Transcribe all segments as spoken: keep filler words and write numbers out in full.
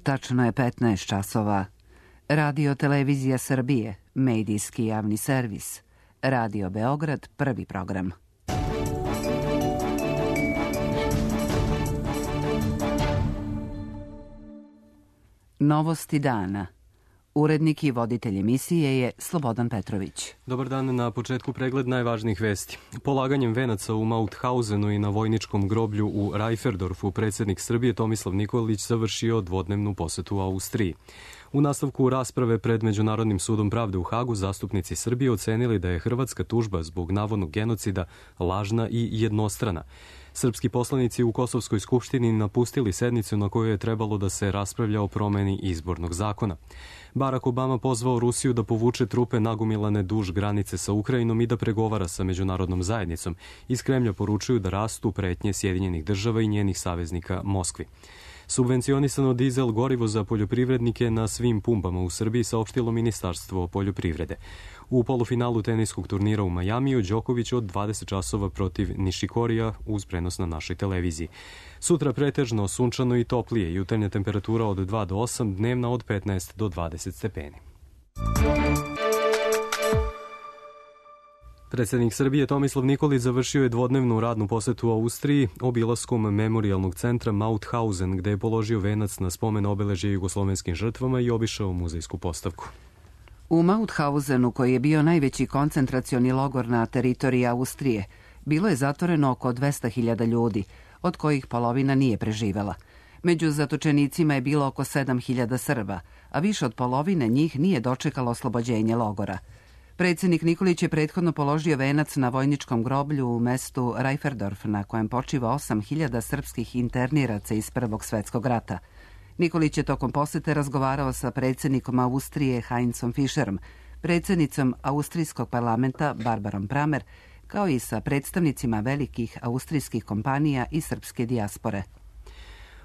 Tačno je petnaest časova. Radio Televizija Srbije, medijski javni servis. Radio Beograd, prvi program. Novosti dana. Urednik i voditelj emisije je Slobodan Petrović. Dobar dan, na početku pregled najvažnijih vesti. Polaganjem venaca u Mauthausenu i na vojničkom groblju u Reiferdorfu predsjednik Srbije Tomislav Nikolić završio dvodnevnu posetu u Austriji. U nastavku rasprave pred Međunarodnim sudom pravde u Hagu zastupnici Srbije ocenili da je hrvatska tužba zbog navodnog genocida lažna i jednostrana. Srpski poslanici u Kosovskoj skupštini napustili sednicu na kojoj je trebalo da se raspravlja o promeni izbornog zakona. Barack Obama pozvao Rusiju da povuče trupe nagomilane duž granice sa Ukrajinom i da pregovara sa međunarodnom zajednicom. Iz Kremlja poručuju da rastu pretnje Sjedinjenih država i njenih saveznika Moskvi. Subvencionisano dizel gorivo za poljoprivrednike na svim pumpama u Srbiji, saopštilo Ministarstvo poljoprivrede. U polufinalu teniskog turnira u Majamiju Đoković od dvadeset časova protiv Nišikorija uz prenos na našoj televiziji. Sutra pretežno sunčano i toplije, jutarnja temperatura od dva do osam, dnevna od petnaest do dvadeset stepeni. Predsjednik Srbije Tomislav Nikolić završio je dvodnevnu radnu posetu u Austriji obilaskom memorijalnog centra Mauthausen, gde je položio venac na spomen obeležja jugoslovenskim žrtvama i obišao muzejsku postavku. U Mauthausenu, koji je bio najveći koncentracioni logor na teritoriji Austrije, bilo je zatvoreno oko dvesta hiljada ljudi, od kojih polovina nije preživela. Među zatočenicima je bilo oko sedam hiljada Srba, a više od polovine njih nije dočekalo oslobođenje logora. Predsjednik Nikolić je prethodno položio venac na vojničkom groblju u mestu Reiferdorf, na kojem počiva osam hiljada srpskih interniraca iz Prvog svetskog rata. Nikolić je tokom posete razgovarao sa predsjednikom Austrije Heinzom Fischerom, predsjednicom Austrijskog parlamenta Barbarom Pramer, kao i sa predstavnicima velikih austrijskih kompanija i srpske dijaspore.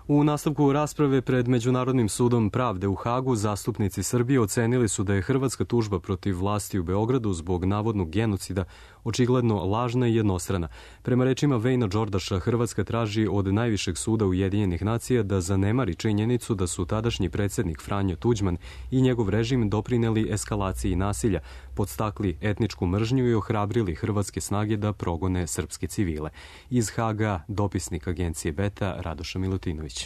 U nastavku rasprave pred Međunarodnim sudom pravde u Hagu zastupnici Srbije ocenili su da je hrvatska tužba protiv vlasti u Beogradu zbog navodnog genocida očigledno lažna i jednostrana. Prema rečima Vejna Đordaša, Hrvatska traži od najvišeg suda Ujedinjenih nacija da zanemari činjenicu da su tadašnji predsjednik Franjo Tuđman i njegov režim doprineli eskalaciji nasilja, podstakli etničku mržnju i ohrabrili hrvatske snage da progone srpske civile. Iz Haga dopisnik agencije Beta Radoša Milutinović.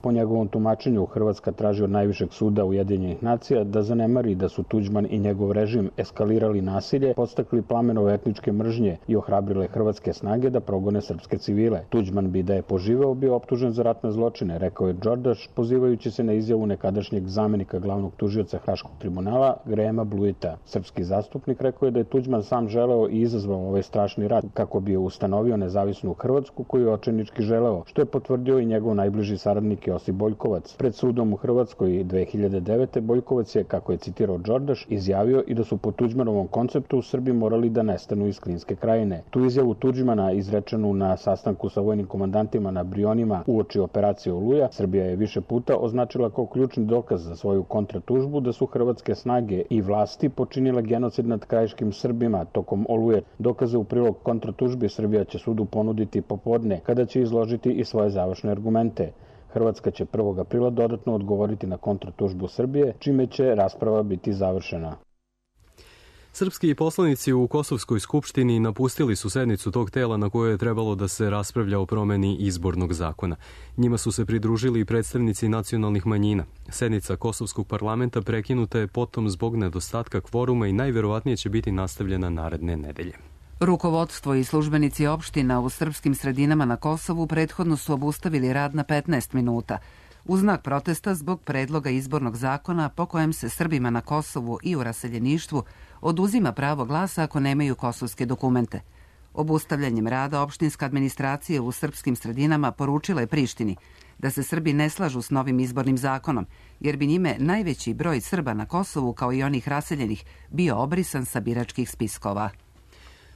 Po njegovom tumačenju, Hrvatska traži od najvišeg suda Ujedinjenih nacija da zanemari da su Tuđman i njegov režim eskalirali nasilje, podstakli plamenove etničke mržnje i ohrabrile hrvatske snage da progone srpske civile. Tuđman bi da je poživeo bio optužen za ratne zločine, rekao je Đordaš, pozivajući se na izjavu nekadašnjeg zamenika glavnog tužioca Haškog tribunala Grahama Bluita. Srpski zastupnik rekao je da je Tuđman sam želeo i izazvao ovaj strašni rat kako bi ustanovio nezavisnu Hrvatsku koju je očajnički želeo, što je potvrdio i njegov najbliži saradnik Josip Boljkovac. Pred sudom u Hrvatskoj dve hiljade devete. Boljkovac je, kako je citirao Đordaš, izjavio i da su po Tuđmanovom konceptu u Srbiji morali da nestanu iz Klinske krajine. Tu izjavu Tuđmana, izrečenu na sastanku sa vojnim komandantima na Brionima uoči operacije Oluja, Srbija je više puta označila kao ključni dokaz za svoju kontratužbu da su hrvatske snage i vlasti počinile genocid nad krajiškim Srbima tokom Oluje. Dokaze u prilog kontratužbi Srbija će sudu ponuditi popodne, kada će izložiti i svoje završne argumente. Hrvatska će prvog aprila dodatno odgovoriti na kontratužbu Srbije, čime će rasprava biti završena. Srpski poslanici u Kosovskoj skupštini napustili su sednicu tog tela na kojoj je trebalo da se raspravlja o promeni izbornog zakona. Njima su se pridružili i predstavnici nacionalnih manjina. Sednica Kosovskog parlamenta prekinuta je potom zbog nedostatka kvoruma i najverovatnije će biti nastavljena naredne nedelje. Rukovodstvo i službenici opština u srpskim sredinama na Kosovu prethodno su obustavili rad na petnaest minuta, u znak protesta zbog predloga izbornog zakona po kojem se Srbima na Kosovu i u raseljeništvu oduzima pravo glasa ako nemaju kosovske dokumente. Obustavljanjem rada opštinska administracija u srpskim sredinama poručila je Prištini da se Srbi ne slažu s novim izbornim zakonom, jer bi njime najveći broj Srba na Kosovu, kao i onih raseljenih, bio obrisan sa biračkih spiskova.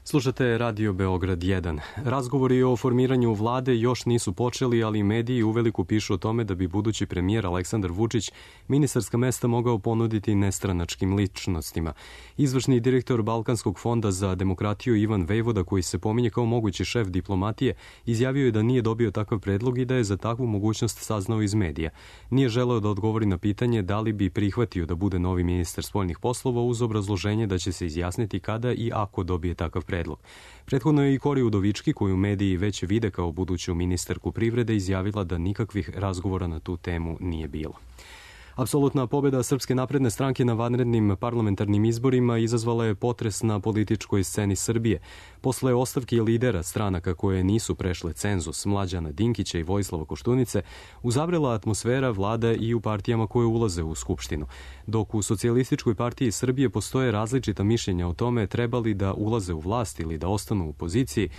Slušate Radio Beograd jedan. Razgovori o formiranju vlade još nisu počeli, ali mediji uveliko pišu o tome da bi budući premijer Aleksandar Vučić ministarska mesta mogao ponuditi nestranačkim ličnostima. Izvršni direktor Balkanskog fonda za demokratiju Ivan Vejvoda, koji se pominje kao mogući šef diplomatije, izjavio je da nije dobio takav predlog i da je za takvu mogućnost saznao iz medija. Nije želeo da odgovori na pitanje da li bi prihvatio da bude novi ministar spoljnih poslova uz obrazloženje da će se izjasniti kada i ako dobije takav predlog. Predlog. Prethodno je i Kori Udovički, koju mediji već vide kao buduću ministarku privrede, izjavila da nikakvih razgovora na tu temu nije bilo. Apsolutna pobjeda Srpske napredne stranke na vanrednim parlamentarnim izborima izazvala je potres na političkoj sceni Srbije. Posle ostavke lidera stranaka koje nisu prešle cenzus, Mlađana Dinkića i Vojislava Koštunice, uzavrela atmosfera vlada i u partijama koje ulaze u Skupštinu. Dok u Socijalističkoj partiji Srbije postoje različita mišljenja o tome trebali da ulaze u vlast ili da ostanu u poziciji,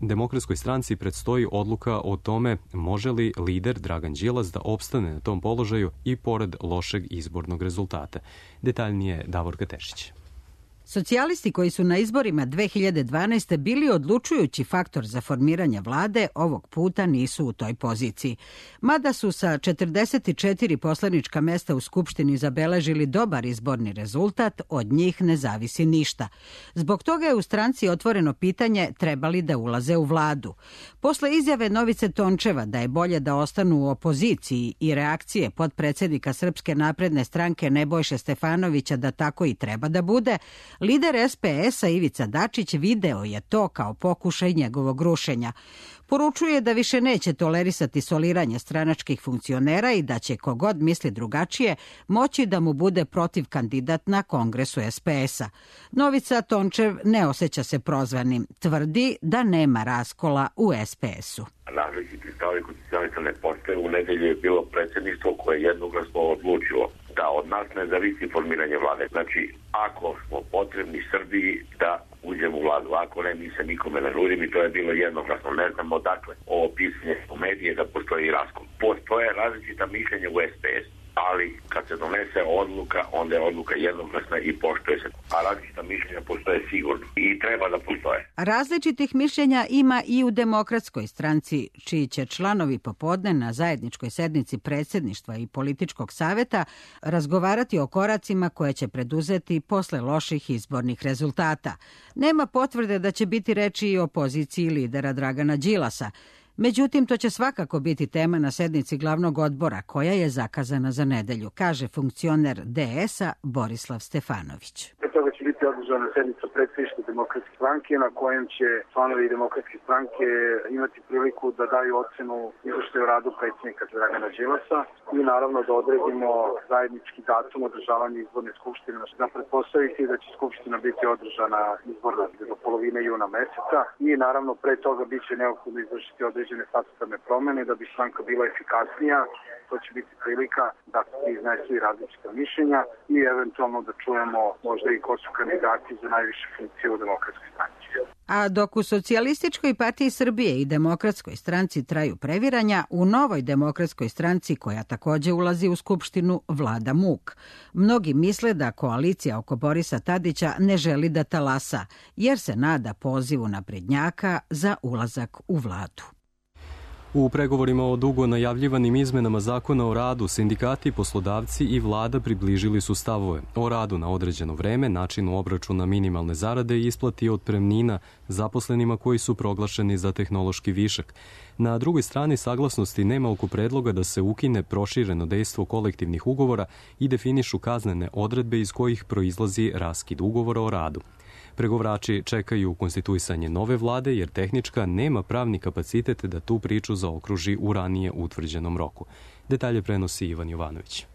Demokratskoj stranci predstoji odluka o tome može li lider Dragan Đilas da opstane na tom položaju i pored lošeg izbornog rezultata. Detaljnije Davorka Tešić. Socijalisti koji su na izborima dve hiljade dvanaeste. bili odlučujući faktor za formiranje vlade, ovog puta nisu u toj poziciji. Mada su sa četrdeset četiri poslanička mesta u Skupštini zabeležili dobar izborni rezultat, od njih ne zavisi ništa. Zbog toga je u stranci otvoreno pitanje trebali da ulaze u vladu. Posle izjave Novice Tončeva da je bolje da ostanu u opoziciji i reakcije potpredsednika Srpske napredne stranke Nebojše Stefanovića da tako i treba da bude, lider es pe es-a Ivica Dačić video je to kao pokušaj njegovog rušenja. Poručuje da više neće tolerisati soliranje stranačkih funkcionera i da će kogod misli drugačije moći da mu bude protiv kandidat na kongresu es pe es-a. Novica Tončev ne osjeća se prozvanim. Tvrdi da nema raskola u es pe es-u. Različiti stavovi kod socijalista ne postoje. U nedelju je bilo predsjedništvo koje je jednoglasno odlučilo da od nas ne zavisi formiranje vlade. Znači, ako smo potrebni Srbiji da uđemo u vladu, ako ne, mi se nikome ne nudim i to je bilo jednoglasno. Ne znamo dakle ovo pisanje u medije da postoji raskol. Postoje različita mišljenja u es pe es, ali kad se donese odluka, onda je odluka jednoglasna i poštuje se. A različita mišljenja postoje sigurno i treba da postoje. Različitih mišljenja ima i u Demokratskoj stranci, čiji će članovi popodne na zajedničkoj sednici predsjedništva i političkog saveta razgovarati o koracima koje će preduzeti posle loših izbornih rezultata. Nema potvrde da će biti reči i o poziciji lidera Dragana Đilasa. Međutim, to će svakako biti tema na sednici glavnog odbora, koja je zakazana za nedelju, kaže funkcioner de es-a Borislav Stefanović. Pre toga će biti održana sednica predsjedništva Demokratske stranke, na kojem će članovi Demokratske stranke imati priliku da daju ocenu izveštaju o radu predsjednika Dragana Đilasa i naravno da odredimo zajednički datum održavanja izborne skupštine. Da pretpostaviti da će skupština biti održana izborna do polovine juna meseca i naravno pre toga bit će neophodno izvršiti određene statutarne promene da bi stranka bila efikasnija. To će biti prilika da se iznesu i različita mišljenja i eventualno da čujemo možda i ko su kandidati za najviše funkcije u Demokratskoj stranci. A dok u Socijalističkoj partiji Srbije i Demokratskoj stranci traju previranja, u Novoj demokratskoj stranci, koja takođe ulazi u Skupštinu, vlada muk. Mnogi misle da koalicija oko Borisa Tadića ne želi da talasa, jer se nada pozivu naprednjaka za ulazak u vladu. U pregovorima o dugo najavljivanim izmenama zakona o radu, sindikati, poslodavci i vlada približili su stavove o radu na određeno vreme, načinu obračuna minimalne zarade i isplati otpremnina zaposlenima koji su proglašeni za tehnološki višak. Na drugoj strani saglasnosti nema oko predloga da se ukine prošireno dejstvo kolektivnih ugovora i definišu kaznene odredbe iz kojih proizlazi raskid ugovora o radu. Pregovarači čekaju konstituisanje nove vlade jer tehnička nema pravni kapacitet da tu priču zaokruži u ranije utvrđenom roku. Detalje prenosi Ivan Jovanović.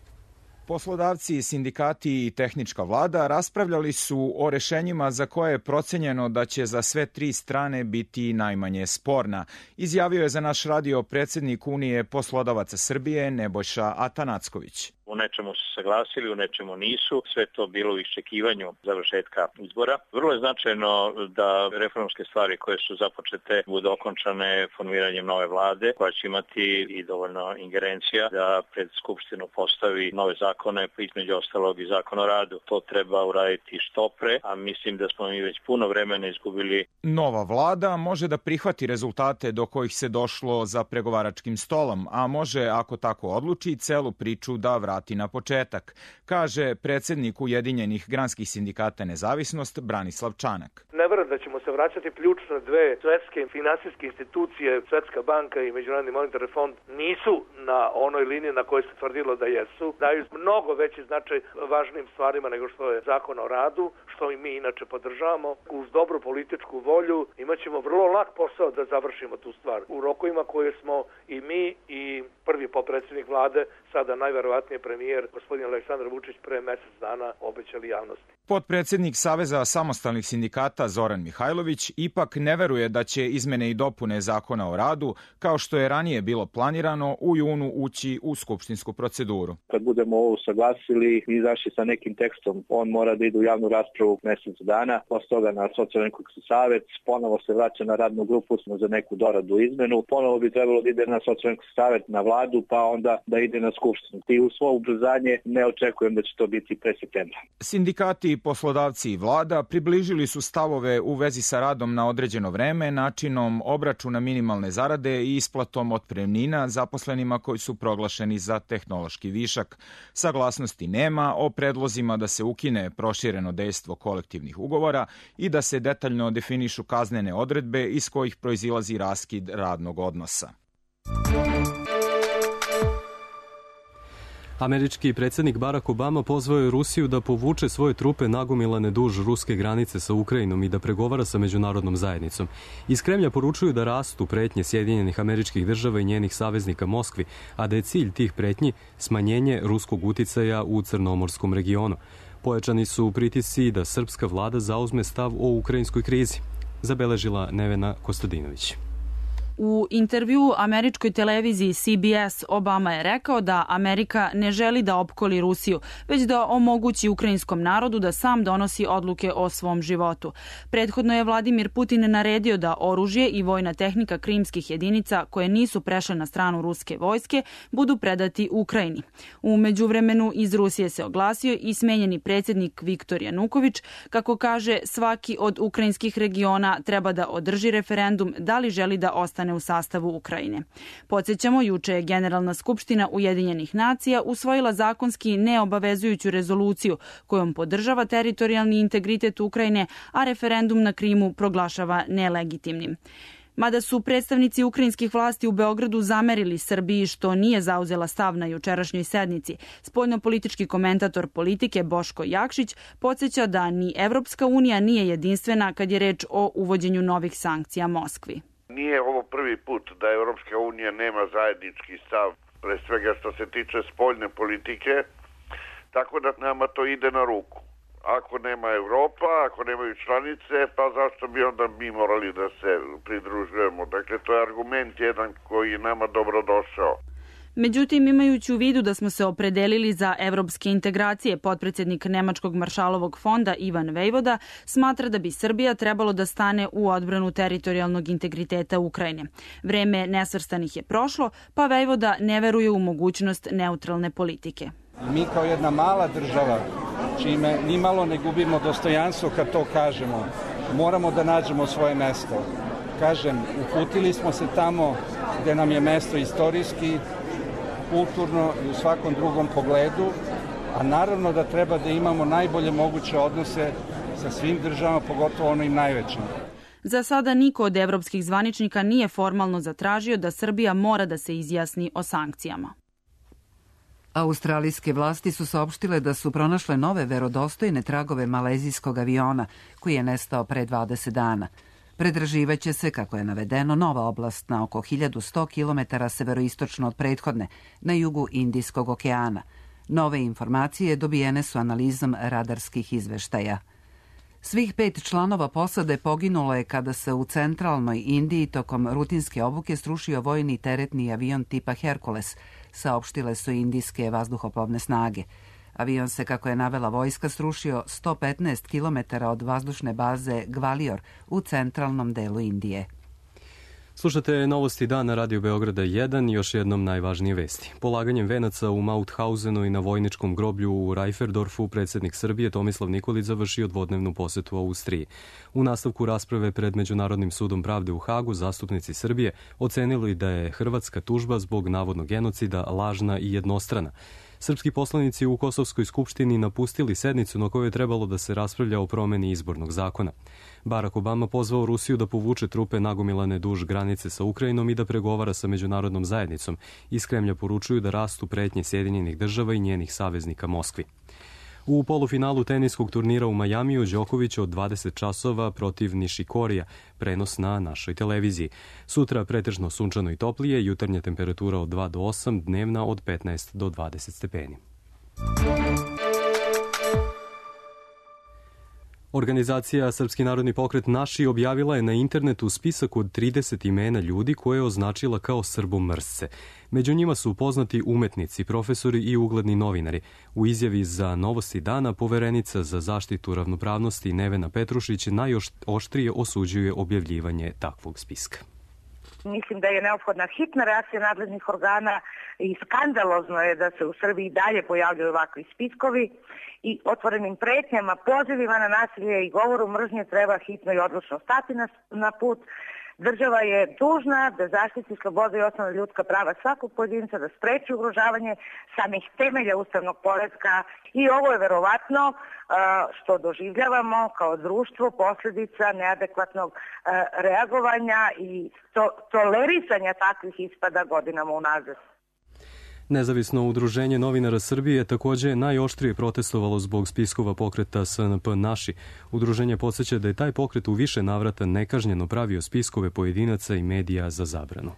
Poslodavci, sindikati i tehnička vlada raspravljali su o rešenjima za koje je procenjeno da će za sve tri strane biti najmanje sporna, izjavio je za naš radio predsjednik Unije poslodavaca Srbije Nebojša Atanacković. U nečemu su saglasili, u nečemu nisu. Sve to bilo u iščekivanju završetka izbora. Vrlo je značajno da reformske stvari koje su započete budu okončane formiranjem nove vlade, koja će imati i dovoljno ingerencija da pred Skupštinu postavi nove zakone, pa između ostalog i zakon o radu. To treba uraditi što pre, a mislim da smo mi već puno vremena izgubili. Nova vlada može da prihvati rezultate do kojih se došlo za pregovaračkim stolom, a može, ako tako odluči, celu priču da vrati na početak, kaže predsednik Ujedinjenih granskih sindikata Nezavisnost Branislav Čanak. Ne verujem da ćemo se vraćati. Ključne dve svetske finansijske institucije, Svetska banka i Međunarodni monetarni fond, nisu na onoj liniji na kojoj se tvrdilo da jesu. Daju mnogo veći značaj važnim stvarima nego što je zakon o radu, što i mi inače podržavamo. Uz dobru političku volju imat ćemo vrlo lak posao da završimo tu stvar u rokovima koje smo i mi i prvi potpredsjednik vlade, sada najverovatnije premijer gospodin Aleksandar Vučić, pre mesec dana obećali javnosti. Potpredsednik Saveza samostalnih sindikata Zoran Mihajlović ipak ne veruje da će izmene i dopune zakona o radu, kao što je ranije bilo planirano, u junu ući u skupštinsku proceduru. Kad budemo ovo usaglasili i izašli sa nekim tekstom, on mora da ide u javnu raspravu mesec dana, posle toga na Socijalno-ekonomski savet, ponovo se vraća na radnu grupu za neku doradu izmenu, ponovo bi trebalo da ide na Socijalno-ekonomski savet, na vladu, pa onda da ide na skupštinu. I u svo ubrzanje ne očekujem da će to biti pre septembra. Sindikati, poslodavci i vlada približili su stavove u vezi sa radom na određeno vreme, načinom obračuna minimalne zarade i isplatom otpremnina zaposlenima koji su proglašeni za tehnološki višak. Saglasnosti nema o predlozima da se ukine prošireno dejstvo kolektivnih ugovora i da se detaljno definišu kaznene odredbe iz kojih proizilazi raskid radnog odnosa. Američki predsjednik Barack Obama pozvao je Rusiju da povuče svoje trupe nagomilane duž ruske granice sa Ukrajinom i da pregovara sa međunarodnom zajednicom. Iz Kremlja poručuju da rastu pretnje Sjedinjenih Američkih Država i njenih saveznika Moskvi, a da je cilj tih pretnji smanjenje ruskog uticaja u crnomorskom regionu. Pojačani su pritisci da srpska vlada zauzme stav o ukrajinskoj krizi, zabeležila Nevena Kostadinović. U intervjuu američkoj televiziji C B S Obama je rekao da Amerika ne želi da opkoli Rusiju, već da omogući ukrajinskom narodu da sam donosi odluke o svom životu. Prethodno je Vladimir Putin naredio da oružje i vojna tehnika krimskih jedinica koje nisu prešle na stranu ruske vojske budu predati Ukrajini. U međuvremenu iz Rusije se oglasio i smenjeni predsjednik Viktor Januković, kako kaže svaki od ukrajinskih regiona treba da održi referendum da li želi da ostane u sastavu Ukrajine. Podsjećamo, juče je Generalna skupština Ujedinjenih nacija usvojila zakonski neobavezujuću rezoluciju kojom podržava teritorijalni integritet Ukrajine, a referendum na Krimu proglašava nelegitimnim. Mada su predstavnici ukrajinskih vlasti u Beogradu zamerili Srbiji što nije zauzela stav na jučerašnjoj sednici, spoljnopolitički komentator Politike Boško Jakšić podsjeća da ni Evropska unija nije jedinstvena kad je reč o uvođenju novih sankcija Moskvi. Nije ovo prvi put da Evropska unija nema zajednički stav, pre svega što se tiče spoljne politike, tako da nama to ide na ruku. Ako nema Evropa, ako nemaju članice, pa zašto bi onda mi morali da se pridružujemo? Dakle, to je argument jedan koji je nama dobro došao. Međutim, imajući u vidu da smo se opredelili za evropske integracije, potpredsjednik Nemačkog maršalovog fonda Ivan Vejvoda smatra da bi Srbija trebalo da stane u odbranu teritorijalnog integriteta Ukrajine. Vreme nesvrstanih je prošlo, pa Vejvoda ne veruje u mogućnost neutralne politike. Mi kao jedna mala država, čime nimalo ne gubimo dostojanstvo kad to kažemo, moramo da nađemo svoje mesto. Kažem, uputili smo se tamo gde nam je mesto istorijski, kulturno i u svakom drugom pogledu, a naravno da treba da imamo najbolje moguće odnose sa svim državama, pogotovo onim najvećim. Za sada niko od evropskih zvaničnika nije formalno zatražio da Srbija mora da se izjasni o sankcijama. Australijske vlasti su saopštile da su pronašle nove verodostojne tragove malezijskog aviona koji je nestao pre dvadeset dana. Predraživaće se, kako je navedeno, nova oblast na oko hiljadu sto kilometara severoistočno od prethodne, na jugu Indijskog okeana. Nove informacije dobijene su analizom radarskih izveštaja. Svih pet članova posade poginulo je kada se u centralnoj Indiji tokom rutinske obuke srušio vojni teretni avion tipa Hercules saopštile su indijske vazduhoplovne snage. Avion se, kako je navela vojska, srušio sto petnaest kilometara od vazdušne baze Gvalior u centralnom delu Indije. Slušate Novosti dana Radio Beograda jedan i još jednom najvažnije vesti. Polaganjem venaca u Mauthausenu i na vojničkom groblju u Reiferdorfu predsjednik Srbije Tomislav Nikolić završio dvodnevnu posetu Austriji. U nastavku rasprave pred Međunarodnim sudom pravde u Hagu zastupnici Srbije ocenili da je hrvatska tužba zbog navodnog genocida lažna i jednostrana. Srpski poslanici u Kosovskoj skupštini napustili sednicu na kojoj je trebalo da se raspravlja o promeni izbornog zakona. Barack Obama pozvao Rusiju da povuče trupe nagomilane duž granice sa Ukrajinom i da pregovara sa međunarodnom zajednicom. Iz Kremlja poručuju da rastu pretnje Sjedinjenih država i njenih saveznika Moskvi. U polufinalu teniskog turnira u Majamiju Đoković od dvadeset časova protiv Nišikorija, prenos na našoj televiziji. Sutra pretežno sunčano i toplije, jutarnja temperatura od dva do osam, dnevna od petnaest do dvadeset stepeni. Organizacija Srpski narodni pokret Naši objavila je na internetu spisak od trideset imena ljudi koje je označila kao srbomrsce. Među njima su poznati umetnici, profesori i ugledni novinari. U izjavi za Novosti dana poverenica za zaštitu ravnopravnosti Nevena Petrušić najoštrije osuđuje objavljivanje takvog spiska. Mislim da je neophodna hitna reakcija nadležnih organa i skandalozno je da se u Srbiji dalje pojavljaju ovakvi spiskovi i otvorenim pretnjama, pozivima na nasilje i govoru mržnje treba hitno i odlučno stati na, na put. Država je dužna da zaštiti slobodu i osnovna ljudska prava svakog pojedinca, da spreči ugrožavanje samih temelja ustavnog poretka i ovo je verovatno što doživljavamo kao društvo posljedica neadekvatnog reagovanja i to, tolerisanja takvih ispada godinama unazad. Nezavisno udruženje novinara Srbije također je najoštrije protestovalo zbog spiskova pokreta S N P Naši. Udruženje podsjeća da je taj pokret u više navrata nekažnjeno pravio spiskove pojedinaca i medija za zabranu.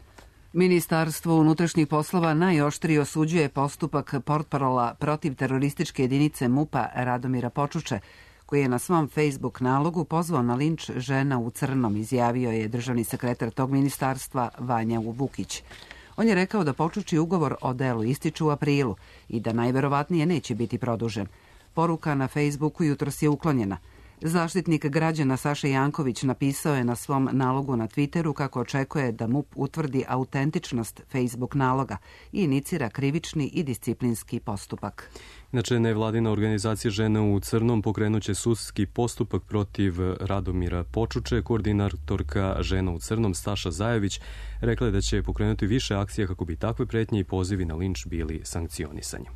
Ministarstvo unutrašnjih poslova najoštrije osuđuje postupak portparola protiv terorističke jedinice MUP-a Radomira Počuče, koji je na svom Facebook nalogu pozvao na linč žena u crnom, izjavio je državni sekretar tog ministarstva Vanja Vukić. On je rekao da Počuči ugovor o delu ističu u aprilu i da najverovatnije neće biti produžen. Poruka na Facebooku jutros je uklonjena. Zaštitnik građana Saša Janković napisao je na svom nalogu na Twitteru kako očekuje da MUP utvrdi autentičnost Facebook naloga i inicira krivični i disciplinski postupak. Inače, nevladina organizacija Žene u crnom pokrenuće sudski postupak protiv Radomira Počuče. Koordinatorka Žena u crnom Staša Zajević rekla je da će pokrenuti više akcija kako bi takve pretnje i pozivi na linč bili sankcionisani.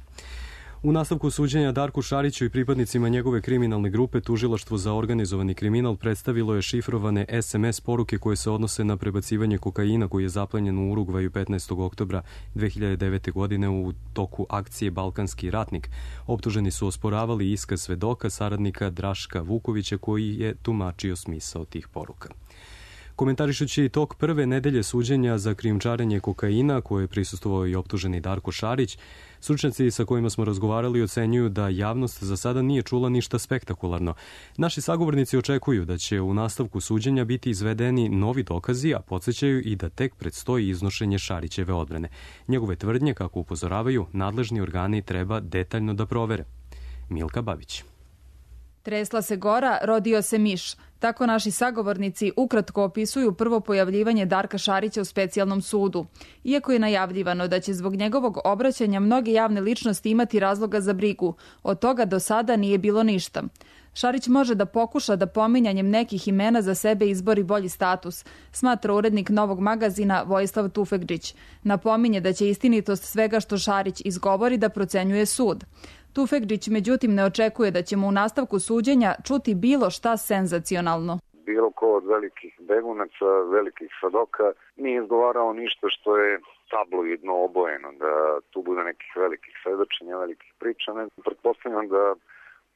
U nastavku suđenja Darku Šariću i pripadnicima njegove kriminalne grupe tužilaštvo za organizovani kriminal predstavilo je šifrovane es em es poruke koje se odnose na prebacivanje kokaina koji je zaplenjen u Urugvaju petnaestog oktobra dve hiljade devete. godine u toku akcije Balkanski ratnik. Optuženi su osporavali iskaz svedoka saradnika Draška Vukovića koji je tumačio smisao tih poruka. Komentarišući tok prve nedelje suđenja za krijumčarenje kokaina, koje je prisustvovao i optuženi Darko Šarić, stručnjaci sa kojima smo razgovarali ocenjuju da javnost za sada nije čula ništa spektakularno. Naši sagovornici očekuju da će u nastavku suđenja biti izvedeni novi dokazi, a podsjećaju i da tek predstoji iznošenje Šarićeve odbrane. Njegove tvrdnje, kako upozoravaju, nadležni organi treba detaljno da provere. Milka Babić. Tresla se gora, rodio se miš. Tako naši sagovornici ukratko opisuju prvo pojavljivanje Darka Šarića u specijalnom sudu. Iako je najavljivano da će zbog njegovog obraćanja mnoge javne ličnosti imati razloga za brigu, od toga do sada nije bilo ništa. Šarić može da pokuša da pominjanjem nekih imena za sebe izbori bolji status, smatra urednik Novog magazina Vojislav Tufegđić. Napominje da će istinitost svega što Šarić izgovori da procenjuje sud. Tufegđić međutim ne očekuje da ćemo u nastavku suđenja čuti bilo šta senzacionalno. Bilo ko od velikih begunaca, velikih svedoka nije izgovarao ništa što je tabloidno obojeno, da tu bude nekih velikih svedočenja, velikih priča. Ne, pretpostavljam da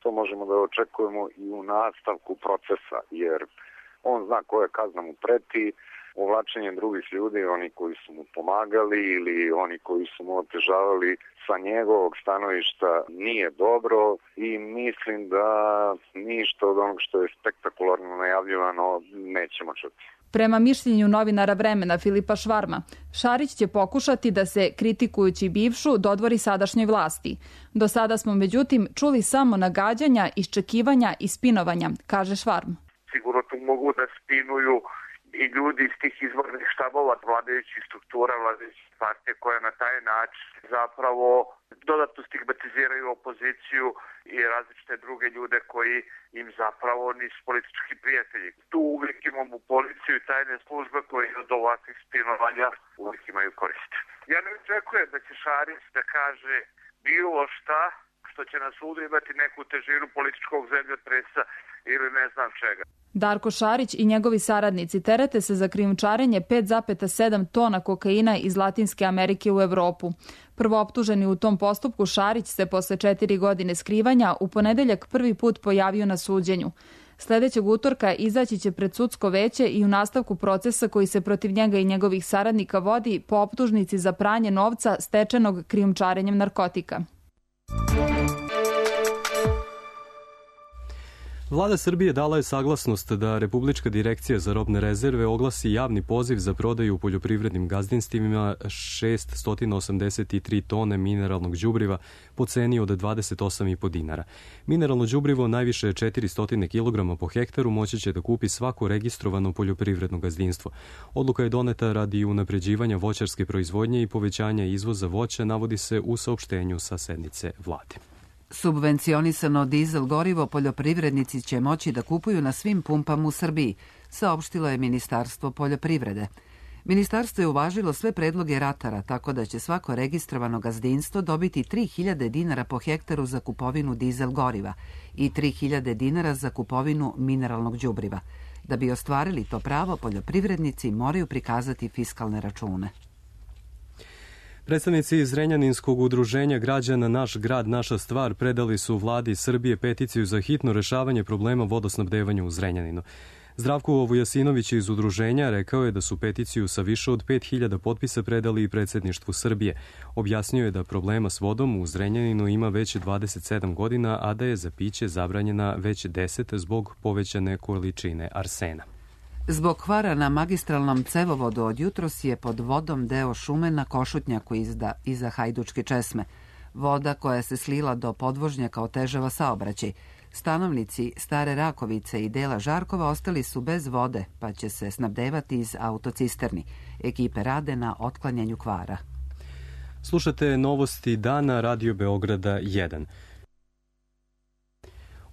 to možemo da očekujemo i u nastavku procesa, jer on zna koja kazna mu preti, uvlačenje drugih ljudi, oni koji su mu pomagali ili oni koji su mu otežavali sa njegovog stanovišta nije dobro i mislim da ništa od onog što je spektakularno najavljivano nećemo čuti. Prema mišljenju novinara Vremena Filipa Švarma, Šarić će pokušati da se, kritikujući bivšu, dodvori sadašnjoj vlasti. Do sada smo međutim čuli samo nagađanja, iščekivanja i spinovanja, kaže Švarm. Sigurno tu mogu da spinuju i ljudi iz tih izvornih štabova vladajućih struktura, vladajućih partije koje na taj način zapravo dodatno stigmatiziraju opoziciju i različite druge ljude koji im zapravo nisu politički prijatelji. Tu uvijek imamo policiju i tajne službe koji od ovakvih spinovanja uvijek imaju koriste. Ja ne očekujem da će Šarić da kaže bilo šta što će na sudu imati neku težinu političkog zemljotresa ili ne znam čega. Darko Šarić i njegovi saradnici terete se za krijumčarenje pet zarez sedam tona kokaina iz Latinske Amerike u Evropu. Prvooptuženi u tom postupku Šarić se posle četiri godine skrivanja u ponedeljak prvi put pojavio na suđenju. Sledećeg utorka izaći će pred sudsko veće i u nastavku procesa koji se protiv njega i njegovih saradnika vodi po optužnici za pranje novca stečenog krijumčarenjem narkotika. Vlada Srbije dala je saglasnost da Republička direkcija za robne rezerve oglasi javni poziv za prodaju u poljoprivrednim gazdinstvima šeststo osamdeset tri tone mineralnog đubriva po ceni od dvadeset osam i po dinara. Mineralno đubrivo najviše četiristo kilograma po hektaru moći će da kupi svako registrovano poljoprivredno gazdinstvo. Odluka je doneta radi unapređivanja voćarske proizvodnje i povećanja izvoza voća, navodi se u saopštenju sa sednice vlade. Subvencionisano dizel gorivo poljoprivrednici će moći da kupuju na svim pumpama u Srbiji, saopštilo je Ministarstvo poljoprivrede. Ministarstvo je uvažilo sve predloge ratara, tako da će svako registrovano gazdinstvo dobiti tri hiljade dinara po hektaru za kupovinu dizel goriva i tri hiljade dinara za kupovinu mineralnog đubriva. Da bi ostvarili to pravo, poljoprivrednici moraju prikazati fiskalne račune. Predstavnici iz Zrenjaninskog udruženja građana Naš grad, naša stvar predali su vladi Srbije peticiju za hitno rešavanje problema vodosnabdevanja u Zrenjaninu. Zdravko Vujasinović iz udruženja rekao je da su peticiju sa više od pet hiljada potpisa predali i predsjedništvu Srbije. Objasnio je da problema s vodom u Zrenjaninu ima već dvadeset sedam godina, a da je za piće zabranjena već deset zbog povećane količine arsena. Zbog kvara na magistralnom cevovodu od jutros je pod vodom deo šume na Košutnjaku izda, iza Hajdučke česme. Voda koja se slila do podvožnjaka otežava saobraćaj. Stanovnici Stare Rakovice i dela Žarkova ostali su bez vode, pa će se snabdevati iz autocisterni. Ekipe rade na otklanjanju kvara. Slušate novosti dana Radio Beograda jedan.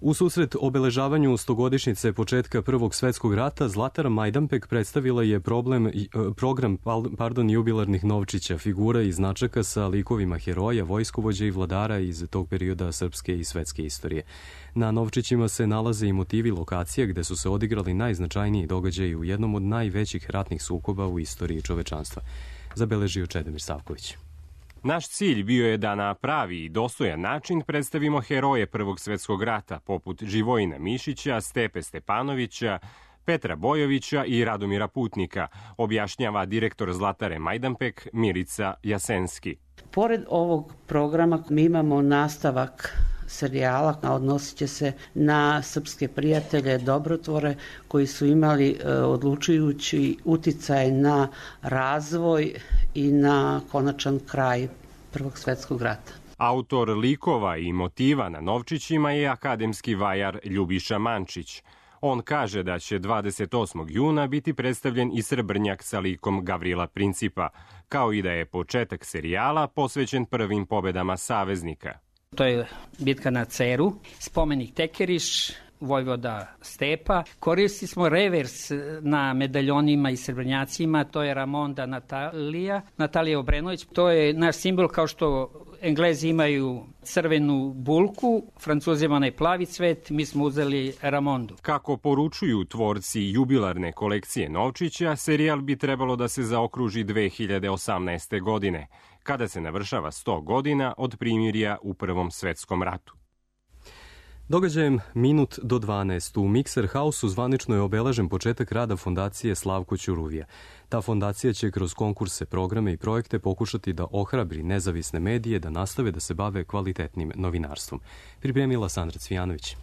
U susret obeležavanju stogodišnjice početka Prvog svetskog rata, Zlatara Majdanpek predstavila je problem, program pardon, jubilarnih novčića, figura i značaka sa likovima heroja, vojskovođa i vladara iz tog perioda srpske i svetske istorije. Na novčićima se nalaze i motivi lokacija gde su se odigrali najznačajniji događaji u jednom od najvećih ratnih sukoba u istoriji čovečanstva. Zabeležio Čedomir Savković. Naš cilj bio je da na pravi i dostojan način predstavimo heroje Prvog svetskog rata, poput Živojina Mišića, Stepe Stepanovića, Petra Bojovića i Radomira Putnika, objašnjava direktor Zlatare Majdanpek Milica Jasenski. Pored ovog programa mi imamo nastavak serijala, odnosit će se na srpske prijatelje, dobrotvore koji su imali e, odlučujući uticaj na razvoj i na konačan kraj Prvog svetskog rata. Autor likova i motiva na novčićima je akademski vajar Ljubiša Mančić. On kaže da će dvadeset osmog juna biti predstavljen i Srebrnjak sa likom Gavrila Principa, kao i da je početak serijala posvećen prvim pobedama saveznika. To je bitka na Ceru, spomenik Tekeriš, vojvoda Stepa. Koristili smo revers na medaljonima i srebrnjacima, to je Ramonda Natalija, Natalija Obrenović. To je naš simbol, kao što Englezi imaju crvenu bulku, Francuzima onaj plavi cvet, mi smo uzeli Ramondu. Kako poručuju tvorci jubilarne kolekcije novčića, serijal bi trebalo da se zaokruži dve hiljade osamnaeste. godine, kada se navršava sto godina od primirja u Prvom svetskom ratu. Događajem minut do dvanaest u Mikser Hausu zvanično je obeležen početak rada fondacije Slavko Ćuruvija. Ta fondacija će kroz konkurse, programe i projekte pokušati da ohrabri nezavisne medije da nastave da se bave kvalitetnim novinarstvom. Pripremila Sandra Cvijanović.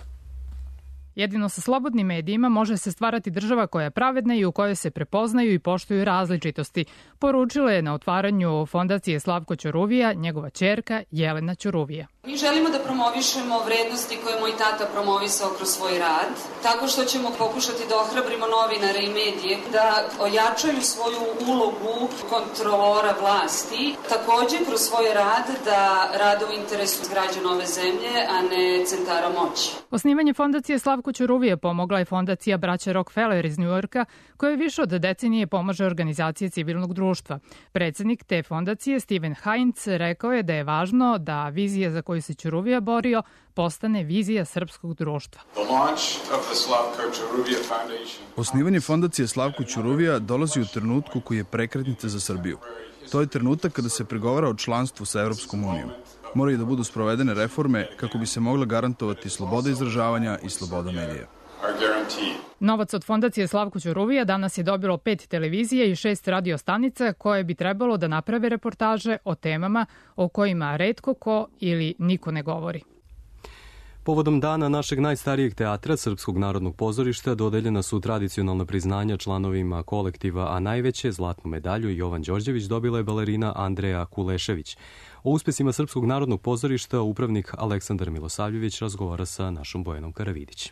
Jedino sa slobodnim medijima može se stvarati država koja je pravedna i u kojoj se prepoznaju i poštuju različitosti, poručila je na otvaranju fondacije Slavko Ćuruvija njegova ćerka Jelena Ćuruvija. Mi želimo da promovišemo vrednosti koje moj tata promovisao kroz svoj rad, tako što ćemo pokušati da ohrabrimo novinare i medije da ojačaju svoju ulogu kontrolora vlasti, takođe kroz svoj rad da rade u interesu građana ove zemlje, a ne centara moći. Osnivanje fondacije Slavko Ćuruvija pomogla je fondacija braća Rockefeller iz Njujorka, koja više od decenije pomaže organizacije civilnog društva. Predsednik te fondacije, Steven Heinz, rekao je da je važno da vizija za koju se Ćuruvija borio postane vizija srpskog društva. Osnivanje fondacije Slavko Ćuruvija dolazi u trenutku koji je prekretnica za Srbiju. To je trenutak kada se pregovara o članstvu sa Evropskom unijom. Moraju da budu sprovedene reforme kako bi se mogla garantovati sloboda izražavanja i sloboda medija. Novac od fondacije Slavko Ćuruvija danas je dobilo pet televizija i šest radio stanica koje bi trebalo da naprave reportaže o temama o kojima retko ko ili niko ne govori. Povodom dana našeg najstarijeg teatra, Srpskog narodnog pozorišta, dodeljena su tradicionalna priznanja članovima kolektiva, a najveće zlatnu medalju Jovan Đorđević dobila je balerina Andreja Kulešević. O uspesima Srpskog narodnog pozorišta upravnik Aleksandar Milosavljević razgovara sa našom Bojanom Karavidić.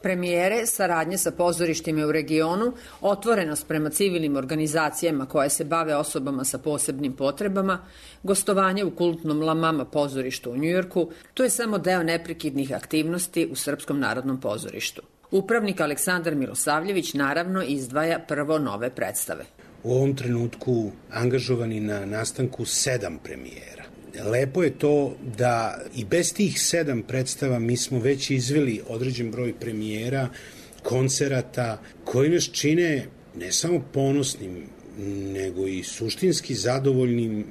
Premijere, saradnje sa pozorištima u regionu, otvorenost prema civilnim organizacijama koje se bave osobama sa posebnim potrebama, gostovanje u kultnom La Mama pozorištu u Njujorku, to je samo deo neprekidnih aktivnosti u Srpskom narodnom pozorištu. Upravnik Aleksandar Milosavljević naravno izdvaja prvo nove predstave. U ovom trenutku angažovani na nastanku sedam premijera. Lepo je to da i bez tih sedam predstava mi smo već izveli određen broj premijera, koncerata koji nas čine ne samo ponosnim, nego i suštinski zadovoljnim,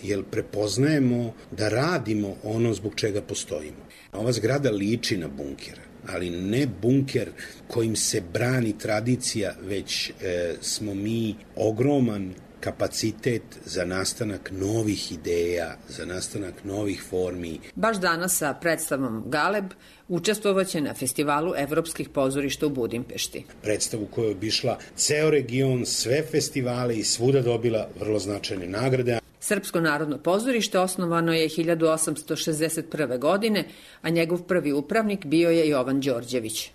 jer prepoznajemo da radimo ono zbog čega postojimo. Ova zgrada liči na bunker, ali ne bunker kojim se brani tradicija, već e, smo mi ogroman kapacitet za nastanak novih ideja, za nastanak novih formi. Baš danas sa predstavom Galeb učestvovaće na festivalu evropskih pozorišta u Budimpešti. Predstavu koja je obišla ceo region, sve festivale i svuda dobila vrlo značajne nagrade. Srpsko narodno pozorište osnovano je hiljadu osamsto šezdeset prve. godine, a njegov prvi upravnik bio je Jovan Đorđević.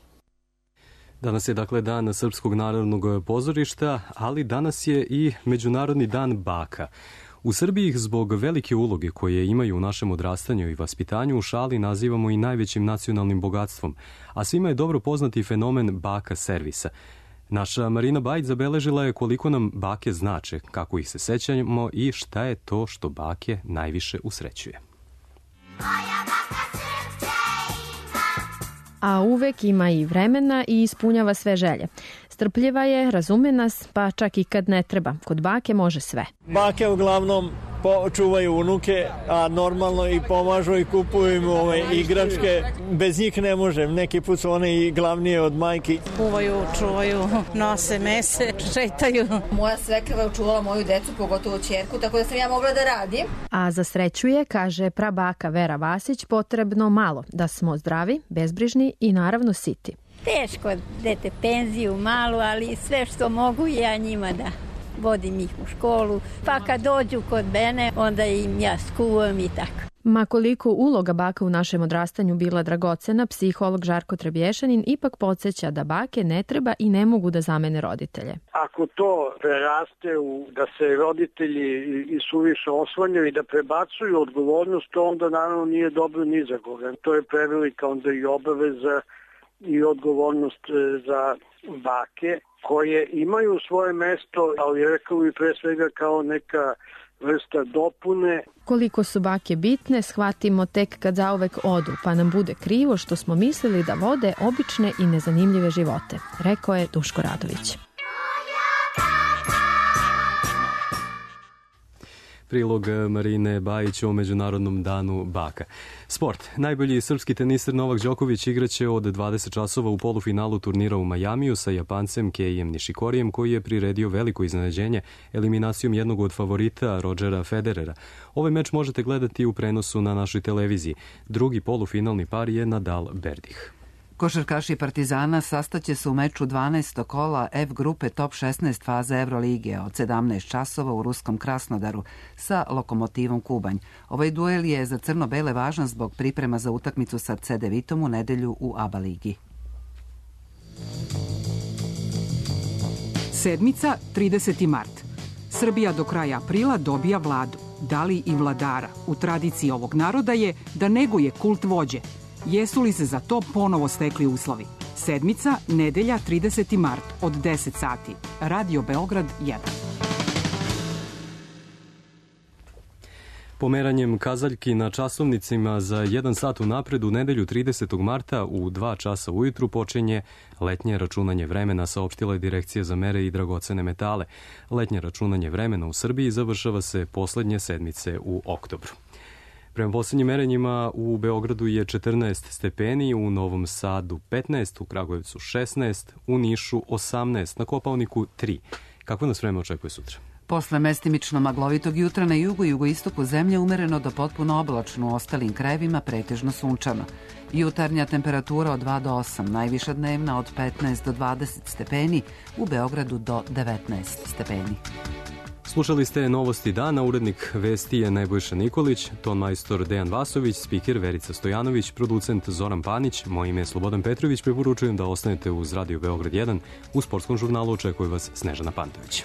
Danas je dakle dan Srpskog narodnog pozorišta, ali danas je i Međunarodni dan baka. U Srbiji ih zbog velike uloge koje imaju u našem odrastanju i vaspitanju u šali nazivamo i najvećim nacionalnim bogatstvom, a svima je dobro poznati fenomen baka servisa. Naša Marina Bajić zabeležila je koliko nam bake znače, kako ih se sećamo i šta je to što bake najviše usrećuje. A uvek ima i vremena i ispunjava sve želje. Strpljiva je, razume nas, pa čak i kad ne treba. Kod bake može sve. Bake uglavnom čuvaju unuke, a normalno i pomažu i kupuju im ove igračke. Bez njih ne može. Neki put su one i glavnije od majki. Kuvaju, čuvaju, nose mese, šetaju. Moja svekrva je čuvala moju decu, pogotovo ćerku, tako da sam ja mogla da radim. A za sreću je, kaže prabaka Vera Vasić, potrebno malo. Da smo zdravi, bezbrižni i naravno siti. Teško dete penziju malu, ali sve što mogu ja njima da vodim ih u školu, pa kad dođu kod mene, onda im ja skuvam i tako. Ma koliko uloga baka u našem odrastanju bila dragocena, psiholog Žarko Trebješanin ipak podsjeća da bake ne treba i ne mogu da zamene roditelje. Ako to preraste u da se roditelji i suviše osvanjaju i da prebacuju odgovornost, to onda naravno nije dobro ni za koga. To je prevelika onda i obaveza i odgovornost za bake koje imaju svoje mesto, ali rekao bi pre svega kao neka vrsta dopune. Koliko su bake bitne, shvatimo tek kad zauvek odu, pa nam bude krivo što smo mislili da vode obične i nezanimljive živote, rekao je Duško Radović. Prilog Marine Bajić o Međunarodnom danu baka. Sport. Najbolji srpski teniser Novak Đoković igraće od dvadeset časova u polufinalu turnira u Majamiju sa Japancem Keijem Nishikorijem, koji je priredio veliko iznenađenje eliminacijom jednog od favorita Rodgera Federera. Ovaj meč možete gledati u prenosu na našoj televiziji. Drugi polufinalni par je Nadal Berdih. Košarkaši Partizana sastaće se u meču dvanaestog kola F grupe top šesnaest faze Evrolige od sedamnaest časova u ruskom Krasnodaru sa Lokomotivom Kubanj. Ovaj duel je za crno-bele važan zbog priprema za utakmicu sa Cedevitom u nedelju u A B A ligi. Sedmica, trideseti mart. Srbija do kraja aprila dobija vladu. Da li i vladara? U tradiciji ovog naroda je da neguje kult vođe. Jesu li se za to ponovo stekli uslovi? Sedmica, nedelja, trideseti mart, od deset sati. Radio Beograd jedan. Pomeranjem kazaljki na časovnicima za jedan sat unapred u nedelju tridesetog marta u dva časa ujutru počinje letnje računanje vremena, saopštila je Direkcija za mere i dragocene metale. Letnje računanje vremena u Srbiji završava se poslednje sedmice u oktobru. Prema poslednjim merenjima u Beogradu je četrnaest stepeni, u Novom Sadu petnaest, u Kragujevcu šesnaest, u Nišu osamnaest, na Kopaoniku tri. Kako nas vreme očekuje sutra? Posle mestimično maglovitog jutra na jugu i jugoistoku zemlje umereno do potpuno oblačno, u ostalim krajevima pretežno sunčano. Jutarnja temperatura od dva do osam, najviša dnevna od petnaest do dvadeset stepeni, u Beogradu do devetnaest stepeni. Slušali ste Novosti dana, urednik vesti je Nebojša Nikolić, ton majstor Dejan Vasović, spiker Verica Stojanović, producent Zoran Panić, moje ime je Slobodan Petrović, preporučujem da ostanete uz Radio Beograd jedan, u sportskom žurnalu očekuje vas Snežana Pantović.